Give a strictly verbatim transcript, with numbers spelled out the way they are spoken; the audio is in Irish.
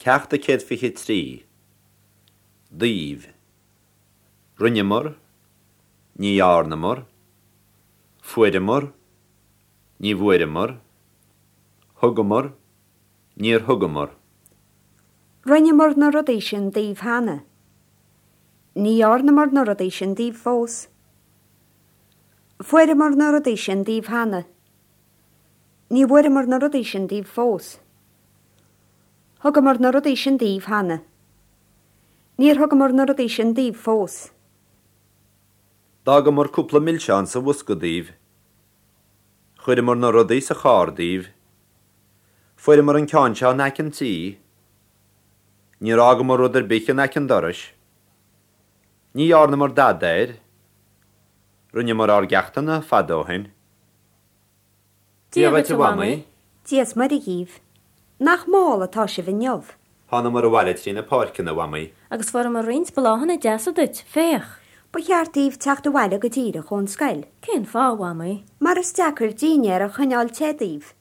Ceacht a céad fiche trí. Daoibh. Rinneamar. Ní dhearnamar. Fuaireamar. Ní bhfuaireamar. Thugamar. Níor thugamar. Rinneamar na rudaí sin daoibh cheana. Ní dhearnamar na rudaí sin daoibh fós. Fuaireamar na rudaí sin daoibh cheana. Ní bhfuaireamar na rudaí sin daoibh fós. Thugamar na rudaí sin daoibh cheana. Níor thugamar na rudaí sin daoibh fós. D'fhágamar cúpla milseán sa bhosca daoibh. Chuireamar na rudaí sa charr daoibh. Fuaireamar an ceann seo in aice an tí. Níor fhágamar rud ar bith in aice an dorais. Ní dhearnamar dada air. Rinneamar ár gceachtanna fada ó shin. Dia dhuit a Mhamaí. Dia is Muire dhaoibh. Nach mall atá sibh inniu. Thánamar abhaile trí na páirceanna a Mhamaí. Agus fuaireamar roinnt bláthanna deasa duit, féach. Ba cheart daoibh teacht abhaile go díreach ón scoil. Cén fáth a Mhamaí? Mar is deacair dinnéar a choinneáil te daoibh.